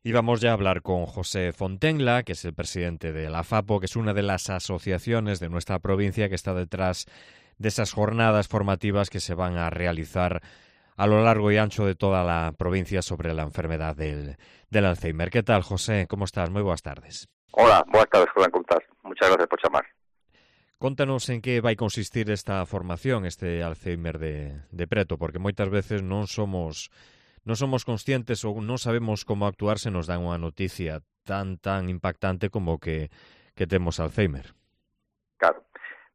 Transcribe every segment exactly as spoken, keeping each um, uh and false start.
Y vamos ya a hablar con José Fontenla, que es el presidente de la FAPO, que es una de las asociaciones de nuestra provincia que está detrás de esas jornadas formativas que se van a realizar a lo largo y ancho de toda la provincia sobre la enfermedad del, del Alzheimer. ¿Qué tal, José? ¿Cómo estás? Muy buenas tardes. Hola, buenas tardes, Juan, ¿cómo estás? Muchas gracias por llamar. Contanos en que vai consistir esta formación, este Alzheimer de, de preto, porque moitas veces non somos non somos conscientes ou non sabemos como actuar se nos dan unha noticia tan tan impactante como que, que temos Alzheimer. Claro.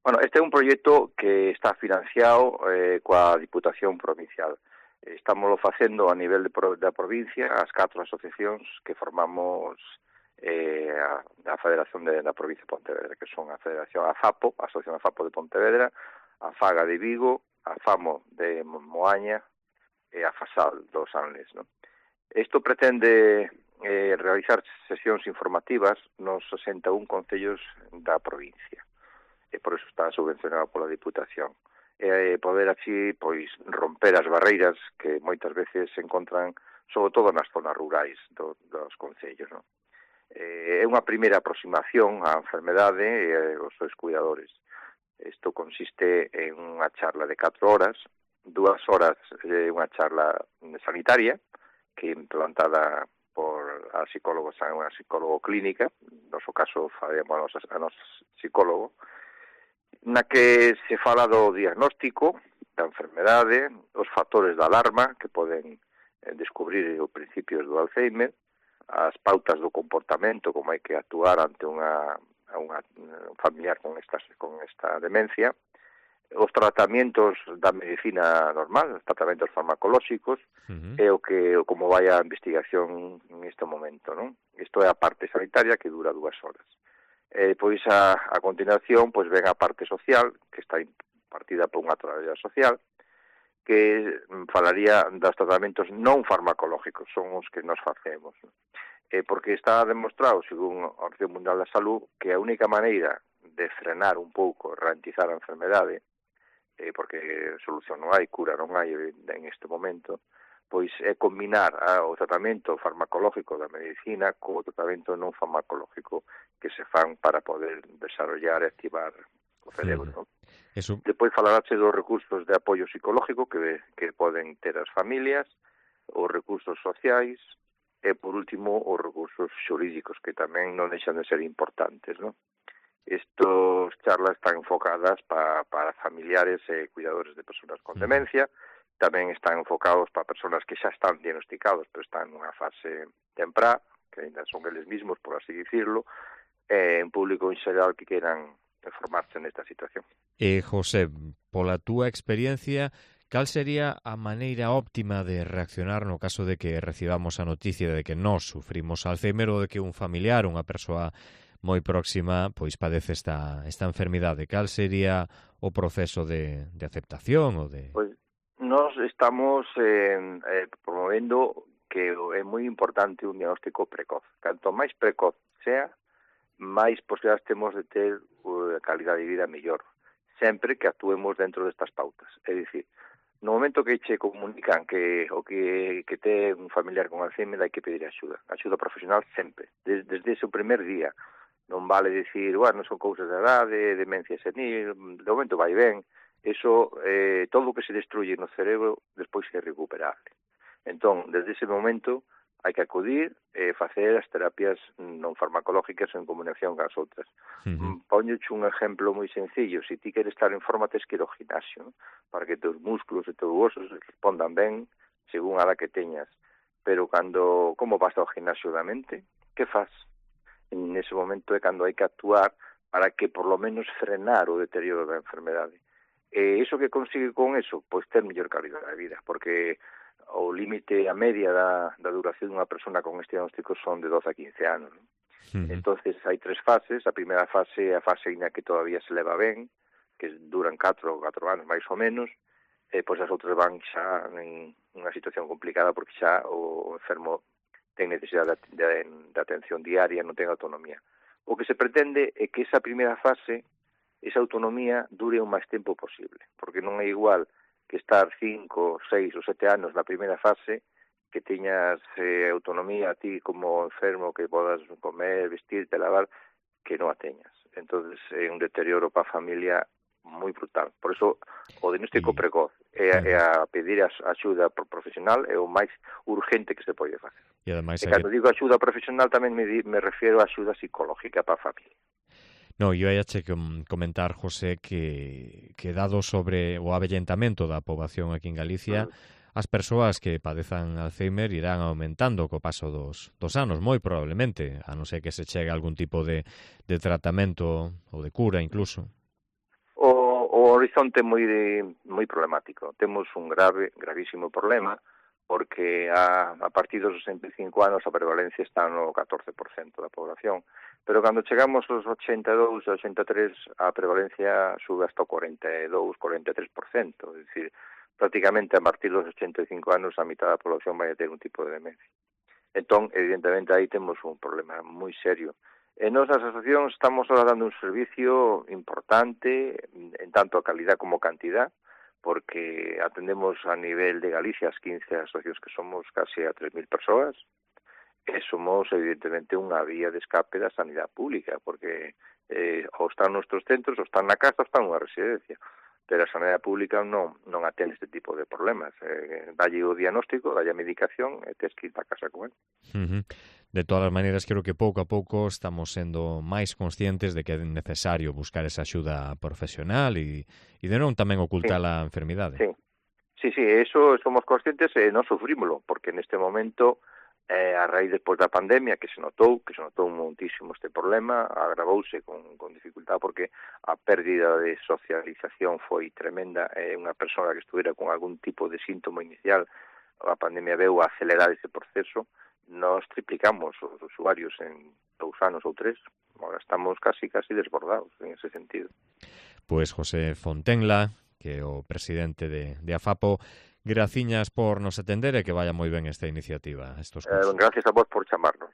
Bueno, este é un proxecto que está financiado eh, coa Diputación Provincial. Estamos facendo a nivel de pro, da provincia as catro asociacións que formamos eh, a, a Federación de, da Provincia de Pontevedra, que son a Federación AFAPO, a Asociación AFAPO de Pontevedra, a FAGA de Vigo, a FAMO de Moaña e a FASAL dos Anles, ¿no? Isto pretende eh, realizar sesións informativas nos sesenta e un concellos da provincia. E por eso está subvencionado pola Diputación. E poder así, pois, romper as barreiras que moitas veces se encontran, sobre todo nas zonas rurais do, dos concellos, ¿no? Eh, é unha primeira aproximación á enfermedade e aos seus cuidadores. Isto consiste en unha charla de catro horas, dúas horas é unha charla sanitaria, que é implantada por a psicólogo, unha psicólogo clínica, no noso caso faremos a nosa psicólogo, na que se fala do diagnóstico da enfermedade, os factores de alarma que poden descubrir os principios do Alzheimer, as pautas do comportamento, como hai que actuar ante unha, unha familiar con esta, con esta demencia, os tratamientos da medicina normal, os tratamentos farmacolóxicos, uh-huh. e o que como vai a investigación en este momento, non? Isto é a parte sanitaria que dura dúas horas. E pois a, a continuación pois ven a parte social, que está impartida por unha traballadora social, que falaría dos tratamentos non farmacológicos, son os que nos facemos, non? Eh, porque está demostrado, según a Organización Mundial da Salud, que a única maneira de frenar un pouco, ralentizar a enfermedade, eh, porque solución non hai, cura non hai en este momento, pois é combinar ah, o tratamento farmacológico da medicina co tratamento non farmacológico que se fan para poder desarrollar e activar o cerebro, non? Eso... Depois falaráche dos recursos de apoio psicológico que, que poden ter as familias, os recursos sociais, e, por último, os recursos xurídicos, que tamén non deixan de ser importantes, non? Estas charlas están enfocadas pa, para familiares e cuidadores de persoas con demencia, tamén están enfocados para persoas que xa están diagnosticados, pero están nunha fase temprá, que ainda son eles mismos, por así dicirlo, e en público en xeral que queiran formarse nesta situación. E, José, pola túa experiencia, cal sería a maneira óptima de reaccionar no caso de que recibamos a noticia de que nós sufrimos Alzheimer ou de que un familiar, unha persoa moi próxima, pois padece esta, esta enfermidade? Cal sería o proceso de, de aceptación ou de... Pois nós estamos eh, eh, promovendo que é moi importante un diagnóstico precoz. Canto máis precoz sea, máis posibilidades temos de ter uh, calidade de vida mellor, sempre que actuemos dentro destas pautas. É dicir, no momento que che comunican que o que, que ten un familiar con Alzheimer hai que pedir axuda, axuda profesional sempre, desde, desde ese primer día. Non vale dicir, bueno, son cousas de edade, demencia senil, de momento vai ben, eso, eh, todo o que se destruye no cerebro despois é recuperable. Entón, desde ese momento hai que acudir e facer as terapias non farmacológicas en combinación cas outras. Uh-huh. Póñoche un exemplo moi sencillo, se ti queres estar en forma tes que ir ao gimnasio, ¿no? Para que teus músculos e teus huesos respondan ben según a la que teñas. Pero cando, como vas ao gimnasio da mente, que faz? En ese momento é cando hai que actuar para que por lo menos frenar o deterioro da enfermedade. E iso que consigue con eso? Pois ter mellor calidade de vida, porque o límite a media da, da duración dunha persona con este diagnóstico son de doce a quince anos, ¿no? Uh-huh. Entonces hai tres fases. A primeira fase é a fase na que todavía se leva ben, que duran catro anos máis ou menos, e pois as outras van xa en unha situación complicada porque xa o enfermo ten necesidade de, de, de atención diaria, non ten autonomía. O que se pretende é que esa primeira fase, esa autonomía, dure o máis tempo posible, porque non é igual que estar cinco, seis ou sete anos na primeira fase que tiñas eh, autonomía a ti como enfermo, que podas comer, vestirte, lavar, que non a teñas. Entonces é un deterioro para a familia moi brutal. Por iso o diagnóstico E, precoz é, claro. é a pedir a axuda profesional é o máis urgente que se pode facer. E ademais E hai cando que... digo axuda profesional tamén me, di, me refiero a axuda psicológica para a familia. No, eu ia che comentar, José, que, que dado sobre o avellentamento da poboación aquí en Galicia, mm. as persoas que padezan Alzheimer irán aumentando co paso dos, dos anos, moi probablemente, a non ser que se chegue a algún tipo de, de tratamento ou de cura incluso. O, o horizonte é moi moi problemático. Temos un grave, gravísimo problema, porque a, a partir dos sesenta e cinco anos a prevalencia está no catorce por cento da población, pero cando chegamos aos ochenta e dous, ochenta e tres, a prevalencia sube hasta o cuarenta e dous, cuarenta e tres por cento, é dicir, prácticamente a partir dos ochenta e cinco anos a mitad da población vai a ter un tipo de demencia. Entón, evidentemente, aí temos un problema moi serio. E nos as asociacións estamos ahora dando un servicio importante en tanto a calidad como cantidad, porque atendemos a nivel de Galicia as quince asociacións que somos casi a tres mil persoas, e somos evidentemente unha vía de escape da sanidade pública, porque eh, ou están nos nosos centros, ou están na casa, ou están nunha residencia, pero a sanidade pública non, non atende este tipo de problemas. Eh, dalle o diagnóstico, dalle a medicación e tes que ir para casa con él. Uh-huh. De todas as maneiras, creo que pouco a pouco estamos sendo máis conscientes de que é necesario buscar esa axuda profesional e, e de non tamén ocultar sí. a enfermidade. Sí, sí, sí, eso somos conscientes e non sufrímolo, porque neste momento, eh, a raíz despois da pandemia, que se notou, que se notou muitísimo este problema, agravouse con, con dificultad porque a pérdida de socialización foi tremenda, e eh, unha persona que estuvera con algún tipo de síntoma inicial, a pandemia veu a acelerar ese proceso. Nos triplicamos os usuarios en dous anos ou tres, agora estamos casi casi desbordados en ese sentido. Pois José Fontenla, que é o presidente de, de AFAPO, graciñas por nos atender e que vaya moi ben esta iniciativa, estos cursos. Eh, gracias a vos por chamarnos.